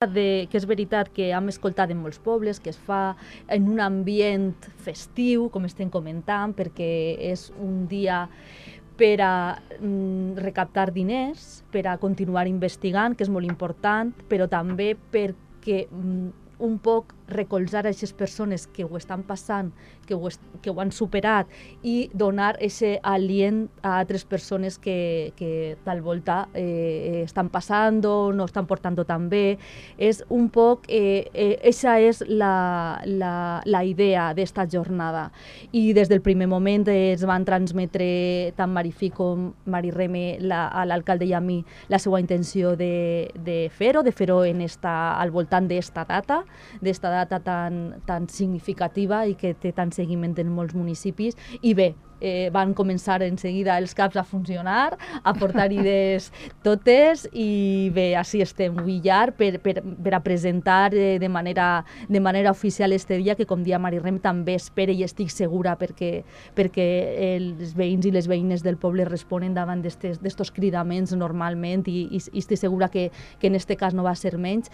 que és veritat que hem escoltat en molts pobles, que es fa en un ambient festiu, com estem comentant, perquè és un dia per a recaptar diners, per a continuar investigant, que és molt important, però també perquè un poc recolzar a aquestes persones que ho estan passant, que ho han superat, i donar aquest alient a altres persones que tal volta estan passant, no estan portant tan bé. És un poc, aquesta és la idea d'esta jornada. I des del primer moment es van transmetre tant Marifí com Mari Reme, a l'alcalde i a mi, la seva intenció de fer-ho al voltant d'esta data tan significativa i que té tant seguiment en molts municipis. I bé, van començar en seguida els CAPs a funcionar, a portar idees totes, i bé, així estem avui llar per a presentar de manera oficial este dia, que com dia Mari Rem també espera i estic segura perquè els veïns i les veïnes del poble responen davant d'estos cridaments normalment, i estic segura que en este cas no va ser menys.